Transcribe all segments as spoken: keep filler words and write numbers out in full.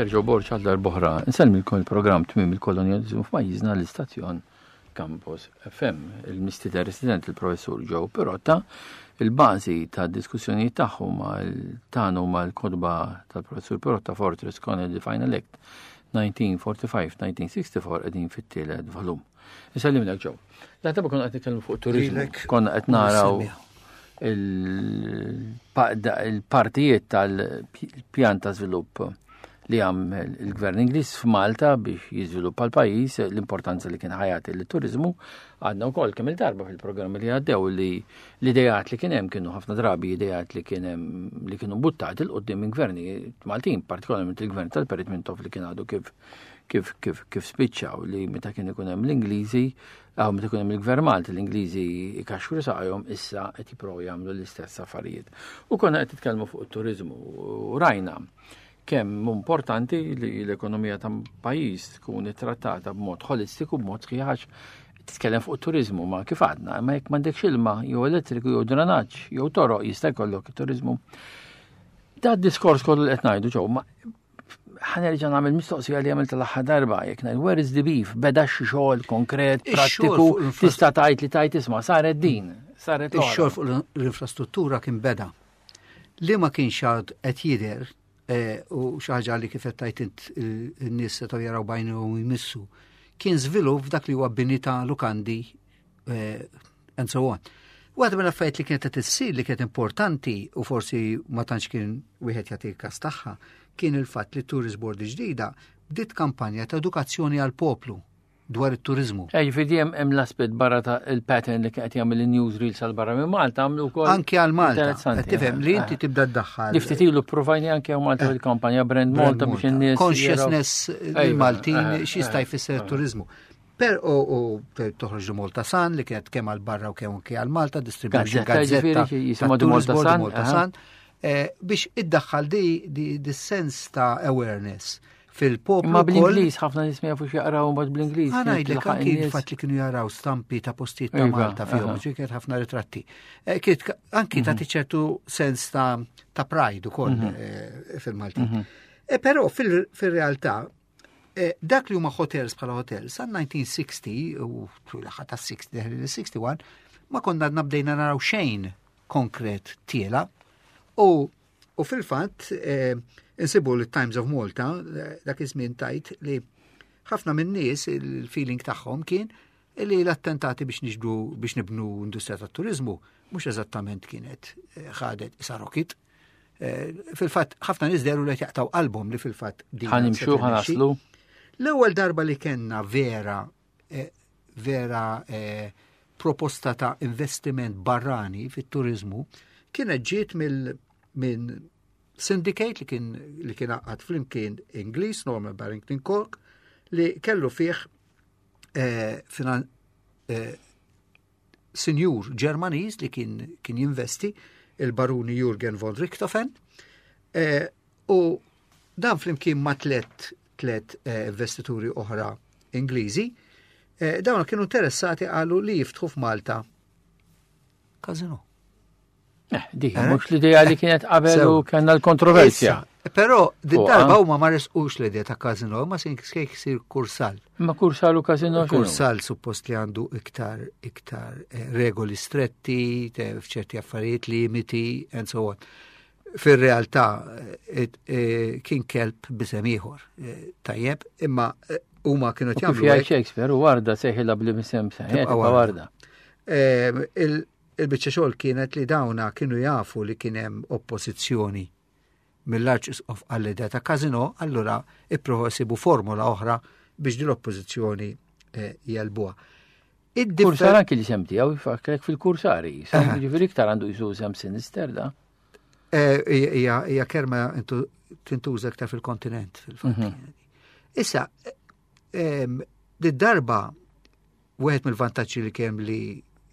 Father Joe Borg għal darb'oħra. Insellmilkom il-programm Tmiem il-Kolonjaliżmu f'pajjiżna, l-istazzjon Campus F M. Il-mistieden resident, il-professur Joe Pirotta, il-bażi ta' diskussjonijiet tagħhom tagħnu mal-kotba tal-professur Pirotta, Fortress Connolly The Final Act elf disa' mija u erbgħa u erbgħin-elf disa' mija u sitta u erbgħin, qegħdin fit-tielet volum. Insellimlek, Joe. La darba konna qed nitkellmu fuq turizmu, Lilek. Konna qed naraw il-partijiet tal-pjan ta' żvilupp li għamel il-gvern Ingliż f'Malta biex jiżviluppa l-pajjiż, l-importanza li kien ħa jagħti lit-turiżmu. Għadna wkoll kemm il-darba fil-programmi li għaddew li l-idejat li kien hemm kienu ħafna drabi idejat li kien hemm li kienu buttati 'l quddiem minn gvernijiet Maltin, partikolarment il-gvern tal-Perit Mintoff li kien għadu kif kif kif kif spiċċaw, li meta kien ikun hemm l-Ingliżi, għaw meta ikun hemm il-gvern Malti, l-Ingliżi ikaxkru saqajhom, issa qed jipprovaw jagħmlu l-istess affarijiet. U konna qed titkellmu fuq it-turiżmu u rajna kemm importanti li l-ekonomija ta' pajjiż tkun ittrattata b'mod holistiku, b'mod sħiħ. Titkellem fuq turizmu, ma kif għadna, ma jekk m'għandekx ilma, jew elettriku, jew drenaġġ, jew toroq, jista' jkollok turizmu? Da diskors kollu li qed ngħidu ġew, ma ħa nerġa' nagħmel mistoqsija li għamilt l-aħħar darba, jekk ngħid, where is the beef? Beda xi xogħol konkret, Ix-xogħol prattiku, fuq l-infra- tista' tgħid li tajt isma' saret din, saret l-oħra? Ix-xogħol fuq l-infrastruttura kien beda. Li ma kienx għad qed jidher eh, u xi ħaġa li kif qed tajt int in-nies setgħu jaraw b'għajnejhom u jmissu, kien żvilupp f'dak li huwa bini ta' lukandi eh, and so on. Waħda mill-affarijiet li kienet qed issir li kienet importanti u forsi ma tantx kien wieħed jagħti każ tagħha kien il-fatt li Tourist Board ġdida bdiet kampanja ta' edukazzjoni għal poplu dwar it-turizmu. Eh, ġifieri hemm hemm l-aspett barra ta' il-pattern li qed jagħmel il-newsreels għal barra minn Malta, għamlu wkoll. Anke għal Malta. Interessanti, Qed tifhem li inti eh. tibda ddaħħal. Li ftit ilu provajni anke hawn Malta fil-kampanja Brand Malta biex in-nies Consciousness jaraw- il-Maltin Ejva, eh, x'jista' eh, jfisser eh. turizmu. Per u u toħroġ Malta Sun li kienet kemm għal barra u kemm anke għal Malta, distribution Gazzetta, gazzetta ġifieri, jisimha ta' di Malta Tourist Board, Sun, Malta aha. Sun, eh, biex iddaħħal di, di, di sens ta' awareness fil-poplu. Imma wkoll. bl-Ingliż, ħafna nies ma jafux jaqraw mbagħad bl-Ingliż. Ħa ngħidlek tilħaq anki in-nies. il-fatt li kienu jaraw stampi ta' postijiet ta' Iva, Malta fihom, aha. ġi kienet ħafna ritratti. Eh, Kienet ka- anki ta' ċertu sens ta' ta' pride ukoll eh, fil-Maltin. Eh, Però fil- fil-realtà eh, dak li huma hotels bħala hotels sa elf disa' mija u sittin u l-aħħar ta' sittin wieħed u sittin ma konna għadna bdejna naraw xejn konkret tiela u u fil-fatt eh, insibu li Times of Malta eh, dak iż-żmien tajt li ħafna minn nies il-feeling tagħhom kien li l-attentati biex niġbdu biex nibnu industrija tat-turizmu mhux eżattament kienet eh, ħadet isa rocket. Eh, Fil-fatt ħafna nies dehru li qed jaqtaw qalbhom li fil-fatt din Ħa nimxu, se tirnexxi. ħa naslu. L-ewwel darba li kellna vera eh, vera eh, proposta ta' investiment barrani fit-turizmu kienet ġiet mill minn syndicate li kien li kien għaqqad flimkien Ingliż, Norman Barrington Cork, li kellu fih eh, finan, eh, sinjur Ġermaniż li kien, kien jinvesti, il-baruni Jürgen von Richthofen, eh, u dan flimkien ma' tlet, tlet eh, investituri oħra Ingliżi, eh, dawn kienu interessati għalu li jiftħu f'Malta kazino. Eh, dik, Eh? mhux l-idea li kienet qabel Sew. u kellna l-kontroversja. Issa, Però din Fuqa. darba huma ma resqux l-idea ta' kazino, ma sin sir kursal. Ma kursal u kazino x'inhu? Kursal suppost li għandu iktar iktar eh, regoli stretti, te- f'ċerti affarijiet, limiti, and so on. Fir-realtà eh, eh, kien kelb b'isem ieħor, eh, tajjeb, imma eh, huma kienu U kif jagħmlu jgħid hekk. Shakespeare, u warda sejħilha bl-isem seħ, Tibqa' tibqa' warda. warda. Eh, il- Il-biċċa xogħol kienet li dawna kienu jafu li kien hemm oppożizzjoni mill-Arċisqof għall-idea ta' kazino, allura ippruvaw jsibu formula oħra biex din l-oppożizzjoni eh, jegħlbuha. Id-differ- Kursar anki li sem tiegħu jfakkrek fil-kursari. Sem ġifieri iktar għandu jisu sem sinister da. Eh, Hija hija kelma intu- tintuża iktar fil-kontinent fil-fatt. Issa, em, di darba wieħed mill-vantaġġi li kemm li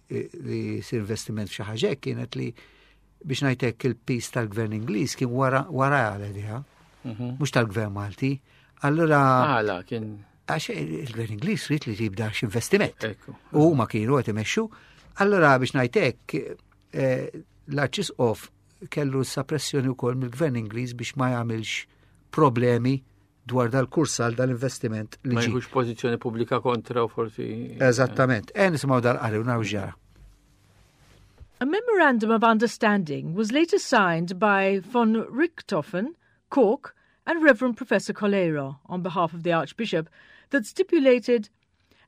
li sir investiment f'xi ħaġa hekk kienet li biex ngħidlek il-piż tal-gvern Ingliż kien wara wara għal mhux tal-gvern Malti. Allura Għala kien għax il-gvern Ingliż ried li tibda x'investiment. Ekku. U huma kienu qed imexxu. Allura biex ngħidlek eh, l-Arċisqof kellu sa pressjoni wkoll mill-gvern Ingliż biex ma jagħmilx problemi dwar dal-Kursal, dal-investiment li Ma ġie. jkunx pożizzjoni pubblika kontra u forsi. Eżattament. E nisimgħu dal-qari u naraw ġara. A memorandum of understanding was later signed by von Richthofen, Cork, and Reverend Professor Coleiro on behalf of the Archbishop that stipulated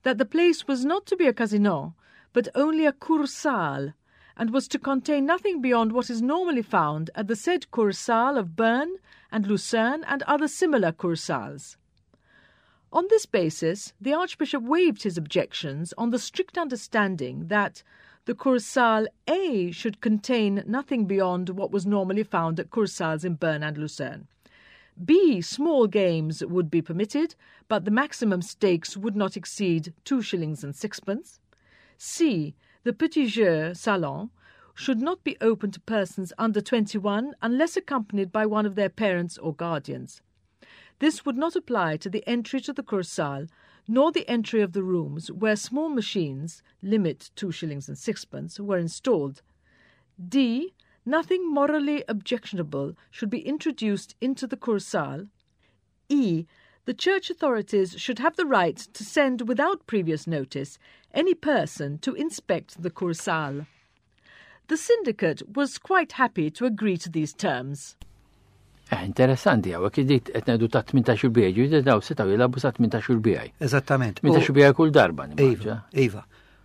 that the place was not to be a casino, but only a Kursaal, and was to contain nothing beyond what is normally found at the said Kursaal of Bern and Lucerne and other similar Kursaals. On this basis, the Archbishop waived his objections on the strict understanding that the Kursaal A should contain nothing beyond what was normally found at Kursaals in Bern and Lucerne. B. Small games would be permitted, but the maximum stakes would not exceed two shillings and sixpence. C. The Petit Jeu Salon should not be open to persons under twenty-one unless accompanied by one of their parents or guardians. This would not apply to the entry to the Kursaal, nor the entry of the rooms where small machines, limit two shillings and sixpence, were installed. D. Nothing morally objectionable should be introduced into the Kursaal. E. The church authorities should have the right to send without previous notice any person to inspect the Kursaal. The syndicate was quite happy to agree to these terms. Eh, interessanti għaw, dik qed ngħidu ta' tmintax-il bijaj, ġifieri daw setgħu jilagħbu sa tmintax-il bijaj. Eżattament. tmintax-il bijaj kull darba, Iva, nimmaġina. Iva.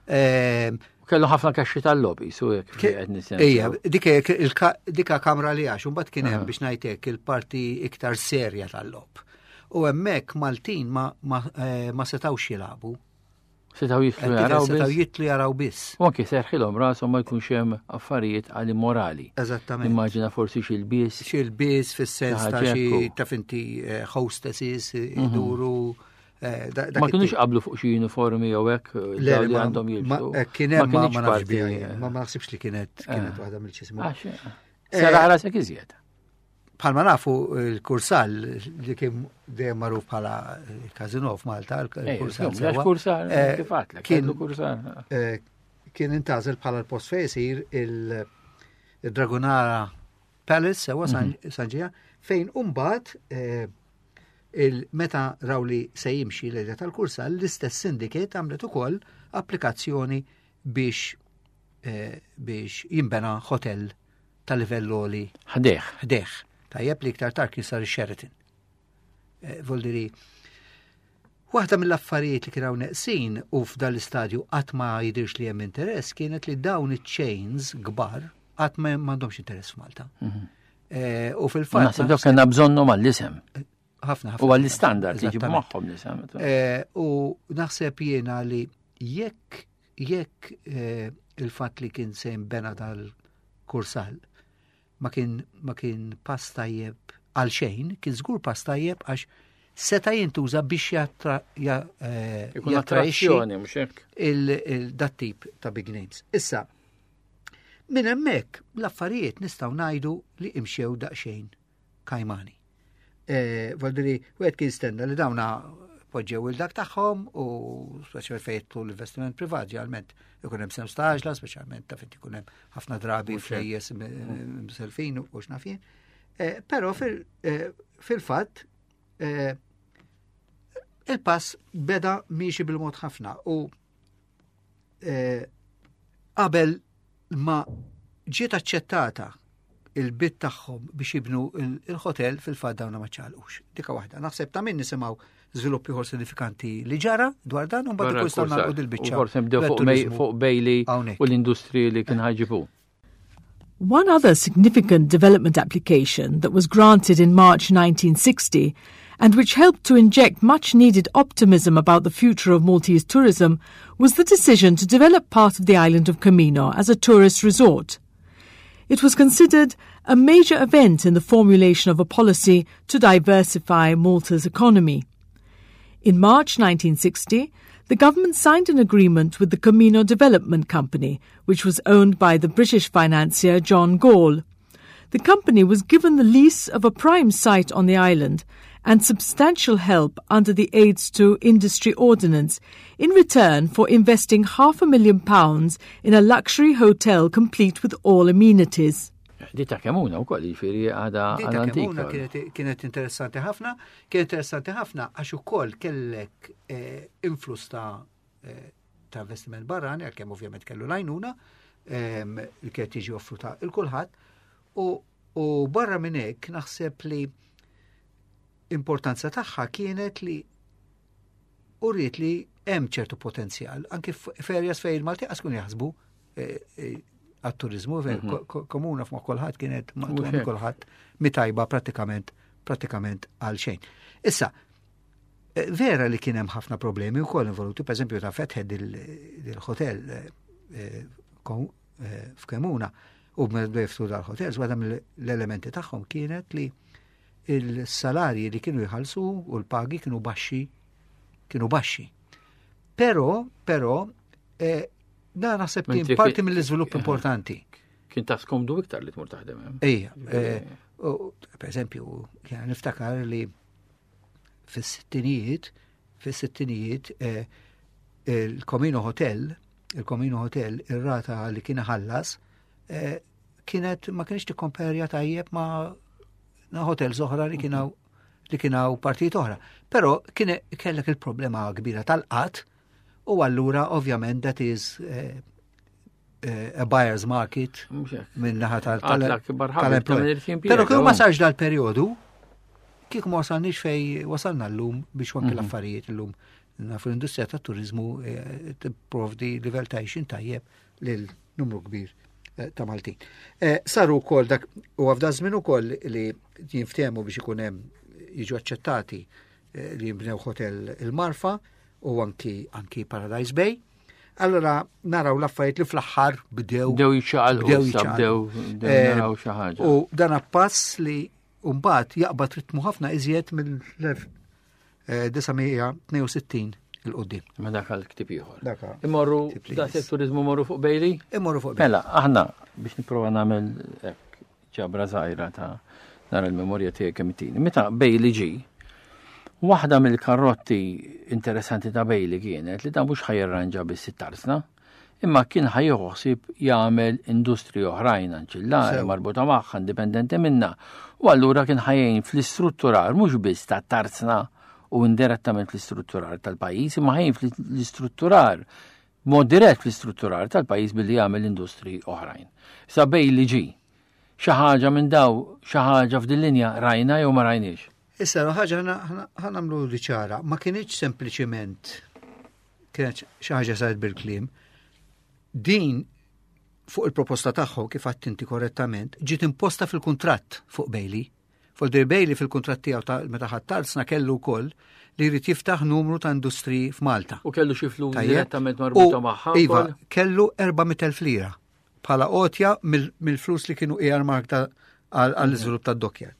Ehm, Kellu ħafna kaxxi tal-logħob, su jekk qed nisimgħu. Ija, dik il-ka- dika kamra li għax, mbagħad kien hemm, biex ngħidlek, il-parti iktar serja tal-logħob. U hemmhekk Maltin ma, ma, eh, ma setawx jilagħbu. Setgħu jidħlu jaraw Setgħu biss. jidħlu jaraw biss. U anke serħilhom rashom ma jkunx hemm affarijiet għal immorali. Eżattament. Immaġina forsi xi lbies. Xi lbies fis-sens ta' xi Ħaġa ta' finti eh, hostesses iduru. eh, da- dak Ma kienux it-tip. qablu fuq xi uniformi jew hekk Le, daw li ma- għandhom ma- jilbsu. eh, Kien hemm ma kinitx ma nafx parti, biha eh, jien, ma ma naħsibx li kienet kienet waħda mill-ċismu. Għax, sera rasek iżjed. Bħalma nafu, il-Kursal li kien dejjem magħruf bħala il-Casino f'Malta, il-Kursal. Għax sewwa, Kursal, eh, kif għatlek, kien kellu Kursal. eh, kien intgħażel bħala l-post fejn isir il-Dragonara Palace, sewwa, San San Ġiljan, fejn imbagħad eh, il-meta raw li se jimxi l-idea tal-Kursal, l-istess syndicate għamlet ukoll applikazzjoni biex eh, biex jimbena hotel ta' livell għoli Ħdejh. ħdejh. Tajjeb, li iktar tard kien sar Sheraton. Eh, Voldiri, waħda mill-affarijiet li kienu neqsin u f'dan l-istadju qatt ma jidirx li hemm interess kienet li dawn iċ-chains kbar qatt ma m'għandhomx interess f'Malta. Eh, U fil-fatt Naħseb dawk kellna bżonnhom għall-isem. Ħafna ħafna. U għall-istandard li ġibu Eżattament. magħhom l-isem. Eh, U naħseb jiena li jekk jekk eh, il-fatt li kien se jinbena dal-Kursal ma kien ma kien pass tajjeb għal xejn, kien żgur pass tajjeb għax seta' jintuża biex jattra, ja, eh, Ikun jattraixxi attrazzjoni, mhux hekk. il-dat tip ta' big names. Issa, minn hemmhekk l-affarijiet nistgħu ngħidu li imxew daqsxejn kajmani. Eh, Voldiri, wieħed kien stenna li dawna poġġew il-dak tagħhom u speċjalment fejn jidħlu l-investiment privat, ġeneralment ikun hemm sens ta' għaġla, speċjalment ta' fejn ikun hemm ħafna drabi Mhux hekk. flejjes m- mselfin u x'naf jien. Eh, Però fil- eh, fil-fatt eh, il-pass beda miexi bil-mod ħafna u eh, qabel ma ġiet aċċettata il-bid tagħhom biex jibnu il- il-hotel, fil-fatt dawna ma ċalqux. Dika waħda. Naħseb ta' min nisimgħu żviluppi ieħor sinifikanti li ġara dwar dan u mbagħad Barra ikun nistgħu l-Kursal. nagħlqu dil-biċċa. U forsi nibdew fuq dwar May- turiżmu fuq Bailey hawnhekk. u l-industriji li kien ħa jġibu. One other significant development application that was granted in March nineteen sixty and which helped to inject much needed optimism about the future of Maltese tourism was the decision to develop part of the island of Comino as a tourist resort. It was considered a major event in the formulation of a policy to diversify Malta's economy. In March nineteen sixty, the government signed an agreement with the Comino Development Company, which was owned by the British financier John Gall. The company was given the lease of a prime site on the island and substantial help under the Aids to Industry Ordinance in return for investing half a million pounds in a luxury hotel complete with all amenities. Di ta' Kemuna wkoll, jiġifieri għadha Di ta' Kemuna kienet interessanti ħafna, kienet interessanti ħafna għax ukoll kellek eh, influss ta' eh, ta' investiment barrani, għalkemm ovvjament kellu l-għajnuna, ehm, li kienet tiġi offruta lil kulħadd, u barra minn hekk naħseb li importanza tagħha kienet li uriet li hemm ċertu potenzjal, anki f'areas fejn il-Malti qas kun jaħsbu eh, għat-turizmu, mhm. Kemuna f'ma kulħadd kienet maqtugħa kulħadd mitajba pratikament pratikament għal xejn. Issa, eh, vera li kien hemm ħafna problemi wkoll involuti, per eżempju ta' fetħed il-hotel eh, eh, f'Kemuna u b'meddu dal-hotels, waħda mill-elementi tagħhom kienet li il-salarji li kienu jħallsu u l-pagi kienu baxxi, kienu baxxi. Però, però, da naħseb kien parti mill-iżvilupp importanti. Kien ta' skomdu iktar li tmur taħdem. Ejja, eh, per eżempju, niftakar li fis-sittinijiet, fis-sittinijiet, eh, il-Comino Hotel, il-Comino Hotel, ir-rata li kien ħallas, eh, kienet ma kienx tikkomperja tajjeb ma' hotels oħra li kienu li kienu partijiet oħra. Però kien kellek il-problema kbira tal-qgħad. U allura, ovvjament, that is uh, uh, a buyer's market minn naħa tal-employment. Però kieku ma sarx dal-periodu, kieku ma wasalniex fej wasalna l-lum biex anki mhm. l-affarijiet l-lum nafu l-industrija tat turizmu eh, tipprovdi livell ta' għajxien tajjeb lil numru kbir ta' Maltin. Saru wkoll dak u f'da żmien ukoll li jinftehmu biex ikun hemm jiġu aċċettati li jimbnew hotel il-Marfa u anki anki Paradise Bay. Allora naraw l-affarijiet li fl-aħħar bdew Bdew jiċċaqalqu, bdew issa jiċċaqalqu. bdew bdew Eh, naraw xi ħaġa. U dan pass li mbagħad jaqbad ritmu ħafna iżjed mill-elf disa' mija tnejn u sittin 'il quddiem. Ma dak għal ktib ieħor. Dak Imorru ktib li da jmiss. turizmu morru fuq Bailey? Imorru fuq Mela, aħna biex nipprova nagħmel hekk ġabra żgħira ta' nara l-memorja tiegħek kemm itini. Meta Bailey ġi, waħda mill-karrotti interessanti ta' Bailey kienet li dan mhux ħa jirranġa biss it-tarsna, imma kien ħa jieħu ħsieb jagħmel industriji oħrajn anċillari Sew. marbuta magħha indipendenti minna. U allura kien ħa jgħin fl-istrutturar mhux biss ta' tarsna u indirettament fl-istrutturar tal-pajjiż, imma ħa jgħin fl-istrutturar mod dirett fl-istrutturar tal-pajjiż billi jagħmel industriji oħrajn. Sa Bailey ġi, xi ħaġa minn daw, xi ħaġa f'din linja rajna jew ma rajniex. Issa, ħaġa ħa nagħmlu li ċara, ma kienx sempliċiment kienet xi ħaġa saret bil-kliem. Din fuq il-proposta tagħhom kif għedt inti korrettament, ġiet imposta fil-kuntratt fuq Bailey. Fuq dir Bailey fil-kuntratt tiegħu ta' meta ħa t-tarzna kellu wkoll li jrid jiftaħ numru ta' industriji f'Malta. U kellu xi flus Tajjeb. direttament marbuta U, magħha Iva, wkoll? kellu erba' mitt elf lira bħala għotja mill- mill-flus li kienu earmarked għall-iżvilupp tad-dockyard.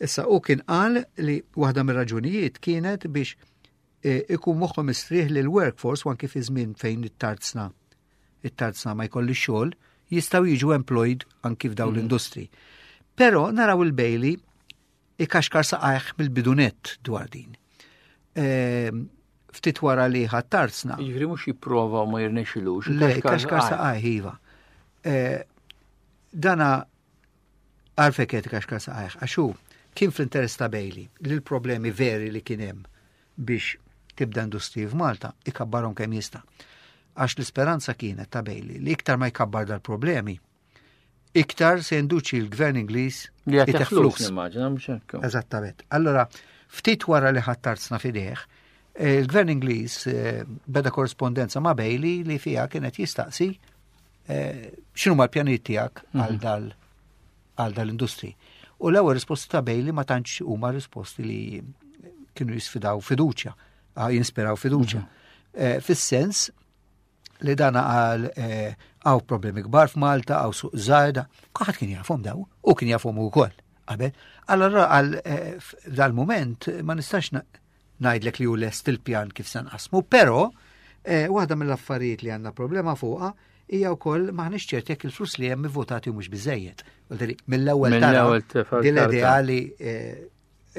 Issa u kien qal li waħda mir-raġunijiet kienet biex eh, ikun moħħu mistrieħ li l-workforce u anki fi żmien fejn it-tarzna it-tarzna ma jkolli xogħol jistgħu jiġu employed anki f'dawn l-industri. Però naraw il-Bailey ikaxkar saqajh mill-bidu nett dwar din. Ehm, Ftit wara li ħa t-tarzna. Jiġifieri mhux jipprova u ma jirnexxilux. Le, kaxkar saqajh, iva. Eh, Dana għalfejn qed kaxkar saqajh, għax hu kien fl-interess ta' Bailey li l-problemi veri li kien hemm biex tibda industriji f'Malta ikabbarhom kemm jista'. Għax l-isperanza kienet ta' Bailey li iktar ma jkabbar dal-problemi, iktar se jinduċi l-gvern Ingliż Li għatih itih flus, nimmaġina, mhux hekk. Eżattament. Allora, ftit wara li ħa t-tarzna f'idejh, eh, il-gvern Ingliż eh, beda korrespondenza ma' Bailey li fija kienet jistaqsi eh, x'inhu l-pjanijiet tiegħek għal dal għal dal-industri. U l-ewwel risposti ta' Bailey ma tantx huma risposti li kienu jisfidaw fiduċja, ah, jinspiraw fiduċja. Eh, Fis-sens li dana għal hawn problemi kbar f'Malta, hawn suq żgħir, kulħadd kien jafhom daw, u kien jafhom ukoll qabel. Allora għal eh, f'dal-moment ma nistax na- ngħidlek li hu lest il-pjan kif se nqasmu, però eh, waħda mill-affarijiet li għandna problema fuqha hija wkoll m'aħniex ċerti jekk il-flus li hemm votati mhux biżejjed. Vuol Mill-ewwel tara Mill-ewwel tefal din l-idea karta. li eh,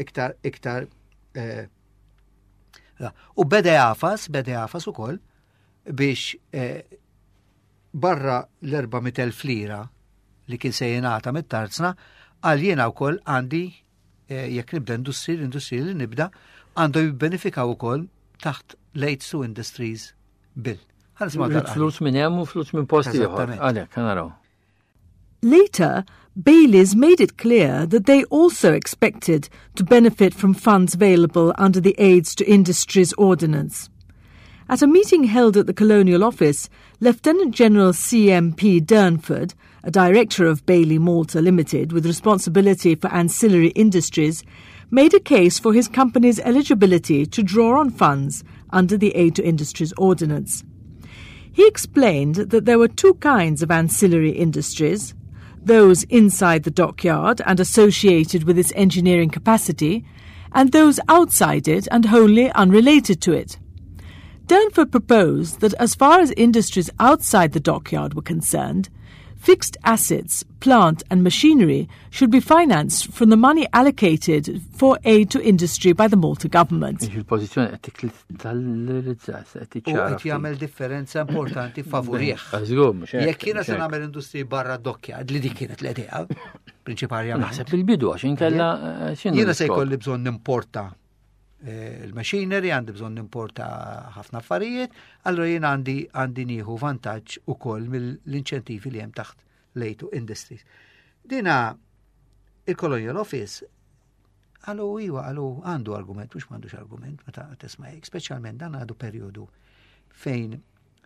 iktar iktar eh, la. U beda jagħfas, beda jagħfas ukoll biex eh, barra l-erba' mitt elf lira li kien se jingħata mit-tarzna, għal jiena wkoll għandi eh, jekk nibda industri, l-industri li nibda għandu jibbenefikaw ukoll taħt l-Aids to Industries Bill. Ħa nisimgħu Rrid dal-qari. Flus minn hemm u flus minn post ieħor. Eżattament. Għalhekk, naraw. Later, Baileys made it clear that they also expected to benefit from funds available under the Aids to Industries Ordinance. At a meeting held at the Colonial Office, Lieutenant General C M P. Durnford, a director of Bailey Malta Limited with responsibility for ancillary industries, made a case for his company's eligibility to draw on funds under the Aid to Industries Ordinance. He explained that there were two kinds of ancillary industries: those inside the dockyard and associated with its engineering capacity, and those outside it and wholly unrelated to it. Durnford proposed that as far as industries outside the dockyard were concerned, fixed assets, plant and machinery should be financed from the money allocated for aid to industry by the Malta government. Il-pożizzjoni qed tikkristallizza, qed U tiċċara. qed jagħmel differenza importanti favorih. Żgur, mhux hekk, Jekk jiena mhux se hekk. nagħmel industri barra dockyard, li dik kienet l-idea prinċipalment. Naħseb il-bidu għax inkella eh, x'inhu Jiena se l-iskop? jkolli bżonn nimporta eh, il-machinery, għandi bżonn nimporta ħafna affarijiet, allora jiena għandi għandi nieħu vantaġġ ukoll mill-inċentivi li hemm taħt l-Aid to Industries. Dina il-Colonial Office għalu iwa, għalu għandu argument, mhux m'għandux argument, meta tisma' hekk, speċjalment dan għadu perjodu fejn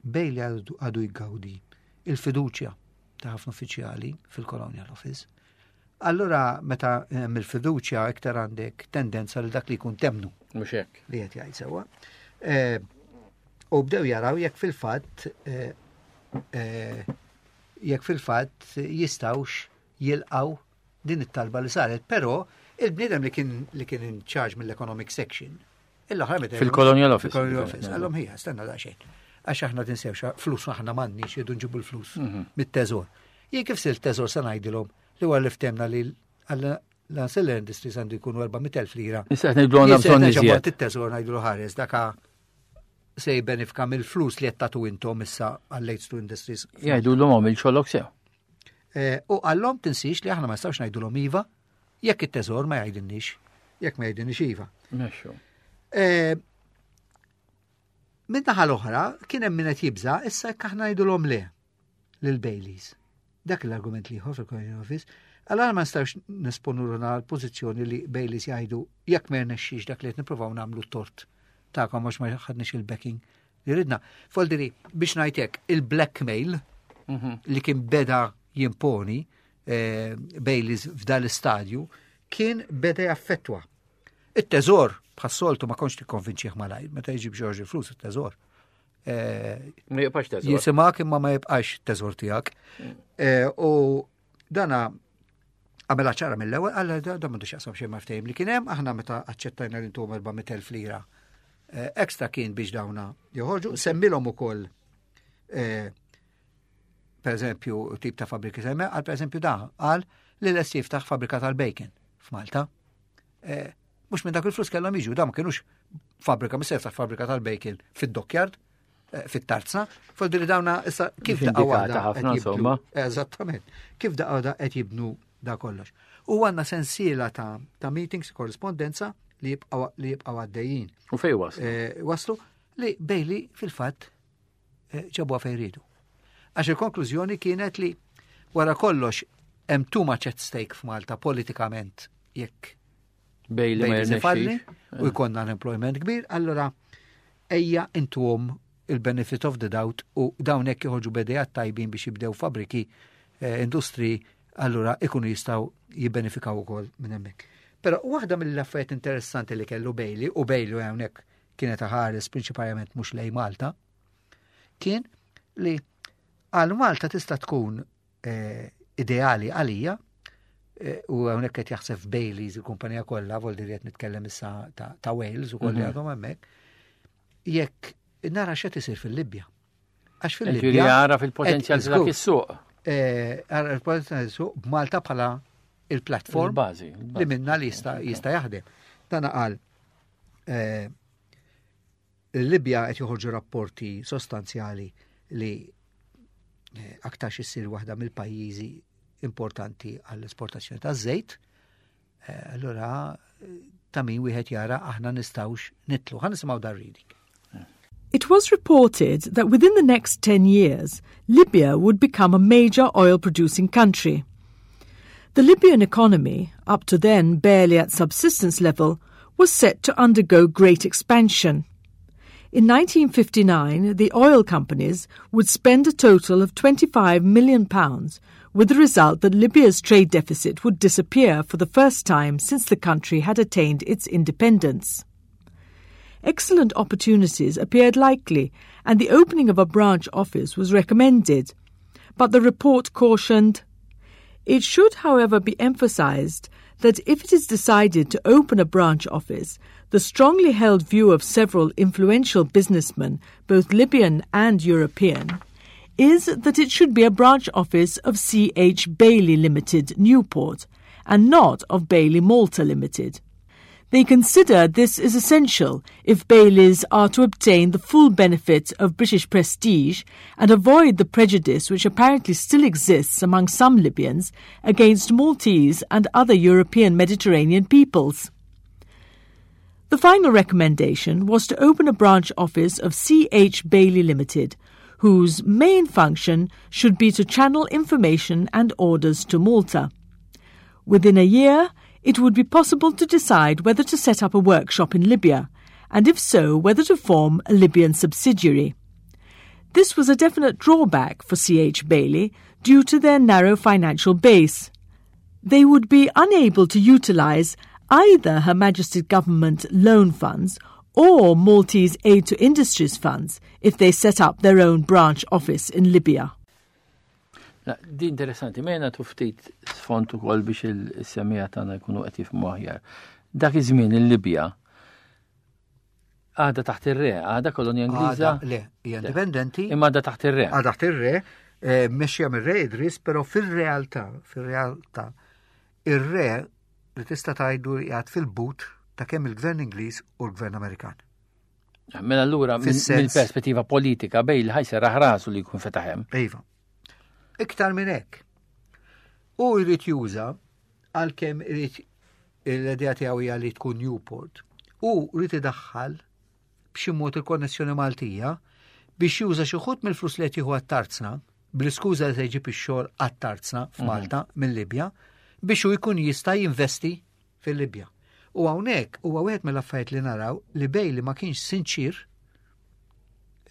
Bailey għadu għadu jgawdi il-fiduċja ta' ħafna uffiċjali fil-Colonial Office. Allora, meta hemm il-fiduċja, iktar għandek tendenza li dak li jkun temnu Mhux hekk. li qed jgħid sewwa. Eh, U bdew jaraw jekk fil-fatt eh, eh, jekk fil-fatt jistgħux jilqaw din it-talba li saret, però il-bniedem li kien li kien in charge mill-economic section, il-oħra meta Fil-Colonial Office. Fil-Colonial Office, għallhom ħija, stenna daqsxejn. Għax aħna tinsewx, flus aħna m'għandniex, jridu nġibu l-flus Mhm. mit-teżor. Jien kif sil teżor se ngħidilhom li huwa li ftemna li l-ancillary industries għandu jkunu erba' mitt elf lira? Issa qed ngħidu għandna bżonn iżjed. It-teżor ngħidulu ħares, daka se jibbenefika mill-flus li qed tagħtu intom issa għall-Aids to Industries. Jgħidu l għamil xogħlok sew. Eh, U għallhom tinsix li aħna ma nistgħux ngħidulhom iva jekk it-teżor ma jgħidilniex, jekk ma jgħidilniex iva. Mexxu. Eh, Min naħa l-oħra, kien hemm min qed jibża issa jekk aħna ngħidulhom le lil Baileys. Dak l-argument l-ieħor fil-Colonial Office. Allora ma nistgħux nesponu ruħna l-pożizzjoni li Baileys jgħidu jekk ma rnexxix dak li qed nippruvaw nagħmlu, tort tagħkom għax ma ħadniex il-backing li ridna. Foldiri, biex ngħidlek, il-blackmail li kien beda jimponi eh, Baileys f'dal istadju kien beda jaffettwa. Il-teżor, bħas-soltu, ma kontx tikkonvinċih malajr, meta jġib George il-flus il-teżor. Eh, Ma jibqax teżor. Jisimak imma ma jibqax teżor tiegħek. Eh, U dana għamela ċara mill-ewwel, għalla da da m'għandux jaqsam xejn ma' ftehim li kien hemm, aħna meta aċċettajna li ntuhom erba' mitt elf lira eh, ekstra kien biex dawna joħorġu, semmilhom ukoll eh, per eżempju tip ta' fabriki semme, għal per eżempju da, għal li lest jiftaħ fabrika tal-bacon f'Malta. Eh, Mhux minn dak il-flus kellhom jiġu, da ma kienux fabrika, mis jiftaħ fabrika tal-bacon fid-dockyard, eh, fit-tarzna, foldiri dawna issa kif Mhux daqqa indikata waħda ħafna, qed jibdlu- insomma. Eżattament. Kif daqqa waħda qed jibnu da kollox. U għandna sensiela ta', ta' meetings, korrespondenza li jibqaw li jibqaw għaddejjin. U fej waslu? Eh, waslu li Bailey fil-fatt eh, ġabuha fejn riedu. Għax il-konklużjoni kienet li wara kollox hemm too much at stake f'Malta politikament jekk Bailey ma Bailey ifalli jirnexxix. u jkollna unemployment kbir, allora ejja intuhom il-benefit of the doubt u dawn hekk joħorġu b'idejat tajbin biex jibdew fabriki, eh, industri, allura ikunu jistgħu jibbenefikaw ukoll minn hemmhekk. Però waħda mill-affarijiet interessanti li kellu Bailey, u Bailey hawnhekk kienet ħares prinċipalment mhux lej Malta, kien li għal Malta tista' tkun eh, ideali għalija eh, u hawnhekk qed jaħseb Baileys il-kumpanija kollha, vol qed nitkellem issa ta', ta' Wales ukoll li Mhm. għadhom hemmhekk, jekk nara x'qed isir fil-Libja. Għax Ġifieri fil-Libja jara fil-potenzjal qed- ta' dak is-suq. eh, ara il-potenzjal suq b'Malta bħala il-platform Il-bażi. li minna li jista' jista' jaħdem. Dana qal eh, il-Libja qed joħorġu rapporti sostanzjali li eh, aktarx issir waħda mill-pajjiżi importanti għall-esportazzjoni ta' żejt. Eh, allura ta' min wieħed jara aħna nistgħux nidħlu. Ħa nisimgħu dar reading. It was reported that within the next ten years, Libya would become a major oil producing country. The Libyan economy, up to then barely at subsistence level, was set to undergo great expansion. In nineteen fifty-nine, the oil companies would spend a total of twenty-five million pounds, with the result that Libya's trade deficit would disappear for the first time since the country had attained its independence. Excellent opportunities appeared likely, and the opening of a branch office was recommended. But the report cautioned, "It should, however, be emphasized that if it is decided to open a branch office, the strongly held view of several influential businessmen, both Libyan and European, is that it should be a branch office of C H. Bailey Limited, Newport, and not of Bailey Malta Limited. They consider this is essential if Baileys are to obtain the full benefit of British prestige and avoid the prejudice which apparently still exists among some Libyans against Maltese and other European Mediterranean peoples." The final recommendation was to open a branch office of C H. Bailey Limited, whose main function should be to channel information and orders to Malta. Within a year, it would be possible to decide whether to set up a workshop in Libya, and if so, whether to form a Libyan subsidiary. This was a definite drawback for C H. Bailey due to their narrow financial base. They would be unable to utilise either Her Majesty's Government loan funds or Maltese Aid to Industries funds if they set up their own branch office in Libya. Di interessanti, mena ftit sfond ukoll biex il-semmiegħa tagħna jkunu qed jifhmu aħjar. Dak iż-żmien il-Libja għadha taħt ir-re, għadha kolonja Ingliża. Le, hija indipendenti. Imma għadha taħt ir-re. Għadha taħt ir-re, eh, mmexxija mir-re Idris, però fil-realtà, fil-realtà, ir-re li tista' tgħidu qiegħed fil-but ta' kemm il-Gvern Ingliż u l-Gvern Amerikan. Mela allura mill-perspettiva politika Bailey ħa jserraħ rasu li jkun fetaħ hemm. Iva. Iktar minn hekk. U jrid juża, għalkemm irid l-idea tiegħu hija li tkun Newport, u jrid idaħħal b'xi mod il-konnessjoni Maltija biex juża xi wħud mill-flus li qed jieħu għat-tarzna, bl-iskuża li se jġib ix-xogħol għat-tarzna f'Malta mhm. mill-Libja, biex hu jkun jista' jinvesti fil-Libja. U hawnhekk huwa wieħed mill-affarijiet li naraw li Bailey ma kienx sinċir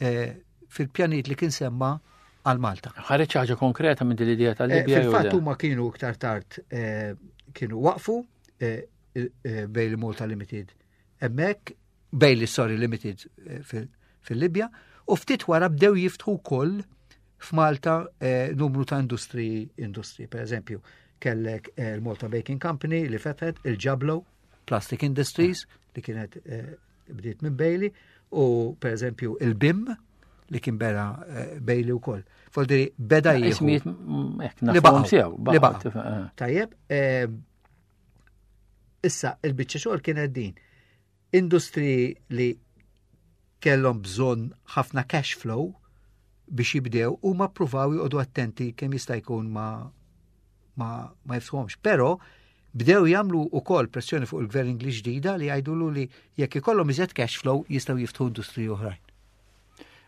eh, fil-pjanijiet li kien semma għal Malta. Ħareġ ħaġa konkreta minn din l-idea tal-Libja? Eh, fil-fatt huma kienu iktar tard eh, kienu waqfu Bailey Malta Limited hemmhekk, Bailey, sorry, Limited fil-Libja, u ftit wara bdew jiftħu wkoll f'Malta numru ta' industri, industri, per eżempju, kellek il-Malta Baking Company li fetħet, il-Jablo Plastic Industries li kienet bdiet minn Bailey, u per eżempju il-B I M li kien beda Bailey u koll. Voldiri, beda jieħu. Ismijiet li baqgħu. Li baqgħu. Tajjeb, issa il-biċċa xogħol kienet din. Industri li kellhom bżonn ħafna cash flow biex jibdew u ma pruvaw joqogħdu attenti kemm jista' jkun ma ma, ma jiftħuhomx. Però bdew jagħmlu wkoll pressjoni fuq il-gvern Ingliż ġdida li jgħidulu li jekk ikollhom iżjed cash flow jistgħu jiftħu industriji oħrajn.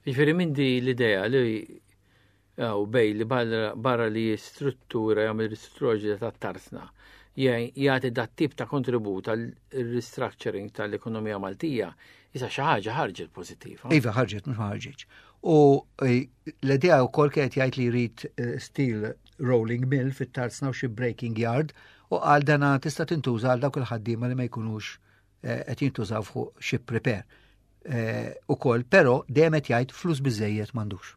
Jiġifieri minn di l-idea li u Bailey barra li struttura jagħmel ristruttura ta' tarzna jagħti dat tip ta' kontribut għal restructuring tal-ekonomija Maltija, issa xi ħaġa ħarġet pożittiva. Iva, ħarġet, mhux ma ħarġetx. U eh, l-idea wkoll kienet jgħid li jrid eh, steel rolling mill fit-tarzna u xi breaking yard, u għal dana tista' tintuża għal dawk il-ħaddiema li ma jkunux eh, qed jintużaw fuq ship repair. Ukoll, però dejjem qed jgħid flus biżejjed m'għandux.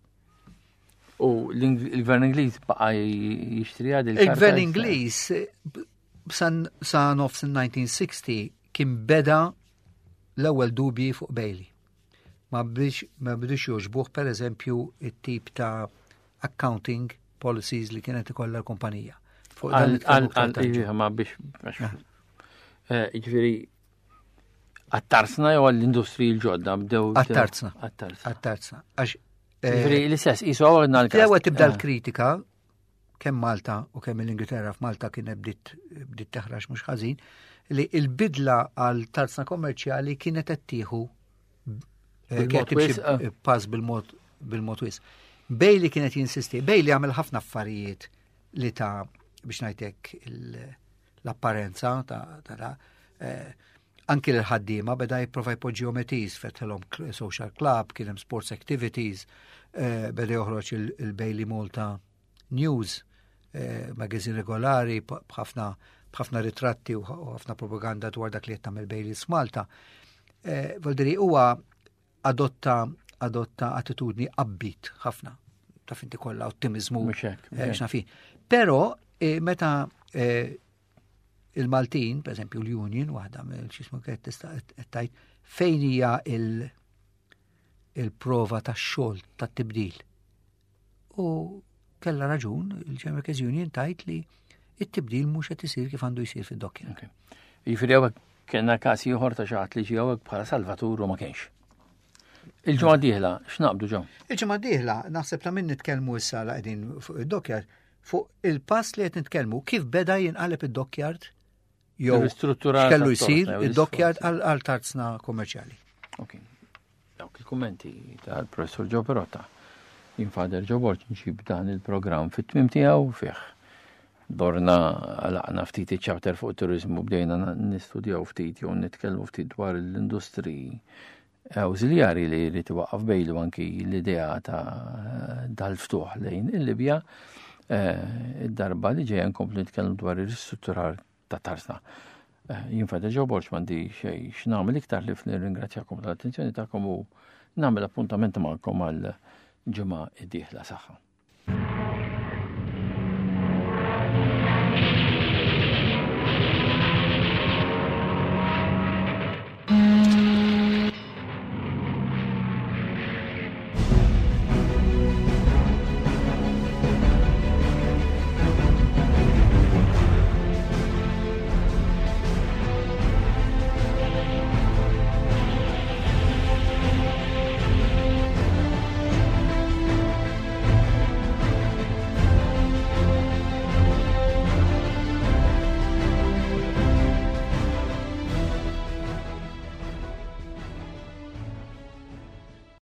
U l-gvern Ingliż baqa' jixtri għad? Il-gvern Ingliż sa nofs il-elf disa' mija u sittin kien beda l-ewwel dubji fuq Bailey. Ma biex ma bidux jogħġbuh, per eżempju, it-tip ta' accounting policies li kienet ikollha l-kumpanija. Ma biex eh, jiġifieri għat-tarzna jew għall-industriji l-ġodda bdew? Għat-tarzna. Għat-tarzna. Għax eh, Jiġifieri l-istess, jisu għawna l-ewwel tibda l-kritika. kemm Malta u kemm l-Ingilterra, f'Malta kienet bdiet bdiet teħrax mhux ħażin, li il-bidla għal tarzna kommerċjali kienet qed tieħu eh, Bil-mod kienet timxi wisq, eh. pass bil-mod bil-mod wisq. Bailey kienet jinsisti, Bailey għamel ħafna affarijiet li ta' biex ngħidlek il- l-apparenza ta' ta' ta' eh, anki l-ħaddiema beda jipprova jpoġġihom at ease, fetħilhom cl- social club, kien hemm sports activities, eh, beda joħroġ il- il-Bailey Malta News, eh, magazine regolari b- b'ħafna b'ħafna ritratti u u ħafna propaganda dwar dak li qed tagħmel Bailey f'Malta. Eh, Voldiri huwa adotta adotta attitudni upbeat ħafna. Taf inti, kollha ottimizmu. Mhux hekk, mhux eh, hekk. X'naf jien. Però eh, meta eh, il-Maltin, per esempio l-Union, waħda mill xismu kienet tista' qed tgħid fejn hija il- il-prova tax-xogħol tat-tibdil. U kella raġun il-General Workers Union tgħid li it-tibdil mhux qed isir kif għandu jsir fid-dokkja. Ok. Jiġifieri hawnhekk kellna każ ieħor ta' xi ħadd li ġie hawnhekk bħala salvatur u ma kienx. Il-ġimgħa dieħla x'naqbdu ġew? Il-ġimgħa dieħla naħseb ta' min nitkellmu issa la qegħdin fuq id-dockyard, fuq il-pass li qed nitkellmu kif beda jinqaleb id-dockyard jew Il-ristrutturar x'kellu tat-tarzna, jsir jew id-dockyard l-isforzi. għal għal tarzna kommerċjali. Ok. Dawk il-kummenti tal-professor Joe Perotta. Jien Father Joe Borg nġib dan il-programm fit-tmim tiegħu. Fih dorna għalaqna ftit iċ-chapter fuq turizmu, bdejna nistudjaw ftit jew nitkellmu ftit dwar l-industriji awżiljari li jrid iwaqqaf Bailey, anki l-idea ta' dal-ftuħ lejn il-Libja. Eh, Id-darba li ġejja nkomplu nitkellmu dwar ir-ristrutturar ta' tarzna. Eh, Jien Father Joe Borg m'għandi xejn x'nagħmel iktar ħlief nirringrazzjakom tal-attenzjoni tagħkom u nagħmel appuntament magħkom għal ġimgħa id-dieħla. Saħħa.